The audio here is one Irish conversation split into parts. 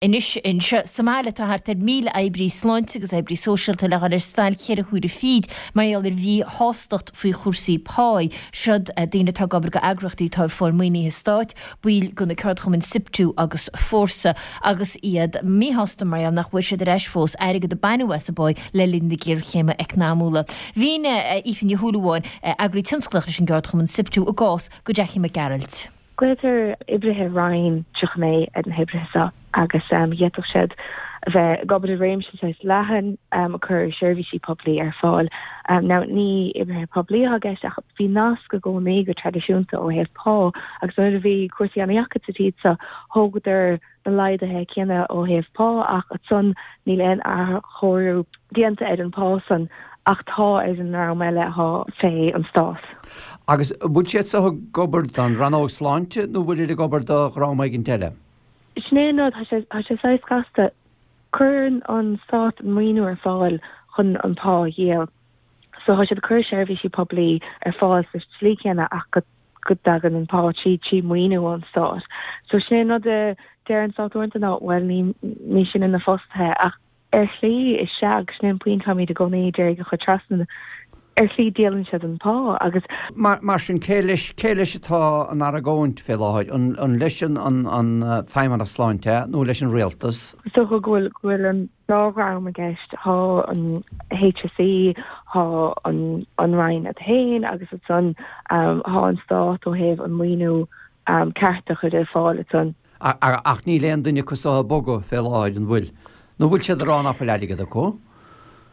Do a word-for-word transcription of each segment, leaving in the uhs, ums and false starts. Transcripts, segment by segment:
Anois anseo sa mbaile tá thart ar míle oibrí sláinte agus oibrí sóisialta le dhul ar stailc cheithre huaire fichead mar gheall ar mhíshástacht faoi chúrsaí páí. Siod daoine atá ag obair go eagraíochtaí atá ag fáil maoinithe stáit, baill de na ceardchumainn SIPTU agus Fórsa agus iad míshásta mar gheall nach bhfuair siad ar ais fós airgead a baineadh as a bpá le linn na géarchéime eacnamúla. Mhínigh Aoife Ní Shúilleabháin, eagraí tionsclach leis an gceardchumann SIPTU a gcás do Jackie Mac Gearailt. Glaotar oibrithe Roinn tríocha naoi ar na hoibrithe seo agus d'fhéadfadh siad a bheith ag obair i réimse saghas leathan ag cur seirbhísí poiblí ar fáil. Now ní oibrithe poiblí atá i gceist ach bhí nasc i gcónaí go traidisiúnta ó thaobh pá agus nuair a bhí cúrsaí an-deacair sa tír seo thógadar na laghduithe céanna ó thaobh pá ach ansan níl aon athchóiriú déanta ar an pá san ach tá ar an ndream eile atá fé an stát. Agus bhfuil siad seo ag obair don rannóg sláinte nó bhfuil siad ag obair do dhream éigin eile? Sin é an rud, tá sé tá sé saghas casta. Cuireann an stát an maoiniú ar fáil chun an pá a dhíol. So tá siad ag cur seirbhísí poiblí ar fáil sa tslí chéanna ach go go dtagann an pá trí trí maoiniú ón stát. So sin é an rud a deir an stát uaireanta ná bhuel ní ní sinne na fostaithe ach ar shlí is ea agus sin é an pointe táimid i gcónaí ag iarraidh a chur trasna ar shlí díolann siad an pá agus. Mar mar sin cé leis cé leis atá an argóint fé láthair an an leis an an an Feidhmeannas Sláinte nó leis an rialtas? Is dócha go bhfuil go bhfuil an dá dhream i gceist, tá an HSE, tá an an Roinn iad féin agus ansan tá an stát ó thaobh an maoiniú ceart a chur ar fáil ansan. Ach níl aon duine acu seo ag bogadh fé láthair, an bhfuil? Nó bhfuil siad ag rá nach bhfuil airgead acu?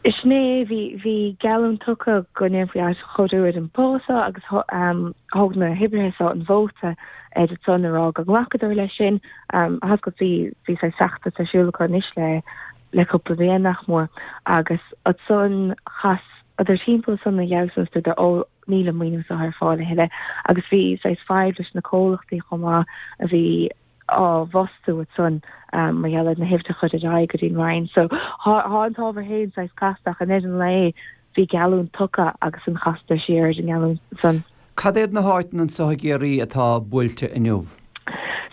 Sin é, bhí, bhí geallúint tugtha go ndéanfaí athchóiriú ar an bpá seo agus thóg na hoibrithe seo an vóta ar ansan a rá go nglacadar leis sin. Thoscail, bhí, bhí saghas feachtas ar siúl acu anois le, le cúpla bliain nach mór agus ansan chasadar timpeall ansan a dheabhas agus dúradar ó níl an maoiniú seo ar fáil a thuilleadh agus bhí saghas fadhb leis na comhlachtaí chomh maith a bhí á bhfostú ansan mar gheall ar na huimhreacha a chur ar aghaidh go dtí an Roinn. So thá an t-ábhar féin saghas casta ach i ndeireadh an lae bhí geallúint tugtha agus an chasadar siar ar an ngeallúint san. Cad iad na háiteanna anseo i gCiarraí atá buailte inniu?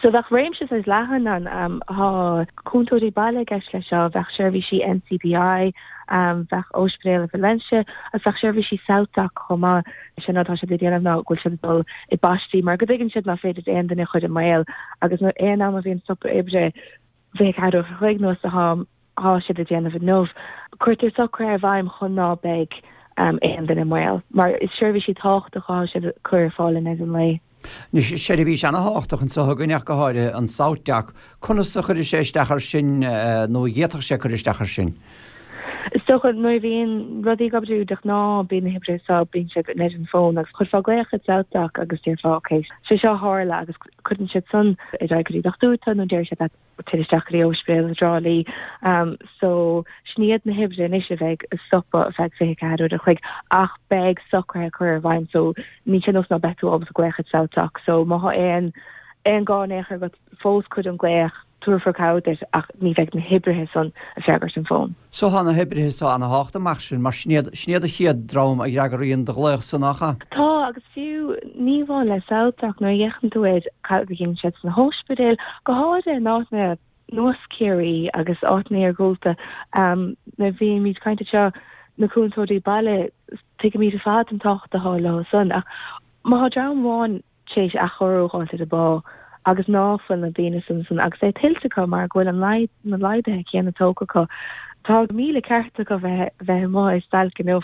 So bheadh réimse saghas leathan ann. Thá cúntóirí baile i gceist leis seo, bheadh seirbhísí NCBI, bheadh Ospidéal Valentia agus bheadh seirbhísí SouthDoc chomh maith. Sin rud atá siad ag déanamh ná go bhfuil siad ag dul i bpaistí mar go dtuigeann siad nach féidir aon duine a chur i mbaol agus aon am a bhíonn stopadh oibre fiche ceathair uair a chloig nós atá thá siad ag déanamh inniu. Cuirtear socruithe i bhfeidhm chun ná beidh aon duine i mbaol mar is seirbhísí tábhachtacha atá siad ag cur ar fáil in aghaidh an lae. Anois, seirbhís ana-thábhachtach anseo againn ach go háirithe, an SouthDoc. Conas a chuirfidh sé isteach air sin nó a d'fhéadfadh sé cur isteach air sin? Is dócha nuair a bhíonn rudaí ag oibriú de ghnáth bíonn na hoibrithe seo, bíonn siad in ar an bhfón agus chuirfeá glaoch ar SouthDoc agus déarfá ok, sé seo a tharla agus cuireann siad san ar aghaidh go dtí dochtúir tú nó deir siad leat téir isteach go dtí Ospidéal i dTrá Lí. So sin iad na hoibrithe anois a bheidh ag stopadh ar feadh fiche ceathair uair a chloig ach beidh socruithe curtha i bhfeidhm so ní sé nós ná beidh tú ábalta glaoch ar SouthDoc so má thá aon aon gá in aon chor agat fós cuir an glaoch tabharfar cabhair duit ach ní bheidh na hoibrithe san ag freagairt an fón. So thá na hoibrithe so ana-thábhachtach mar sin, mar sin iad, sin iad an chéad dream a fhreagraíonn do ghlaoch san nach ea? Tá, agus fiú ní amháin le SouthDoc, nuair a fhéachann tú ar cad a dhéanann siad sna hóispidéil, go háirithe in áiteanna nós Ciarraí agus áiteanna iargúlta, nuair a bhímid ag caint anseo, na cúntóirí baile, tuigimid ar fad an tábhacht atá leo san, ach má thá dream amháin tar éis athchóiriú a dh'fháilt ar a bpá agus ná fuil na daoine san san agus é tuillte acu mar go bhfuil an na laghduithe céanna tógtha acu. Tá míle ceart acu bheith bheith amuigh ar stailc inniu.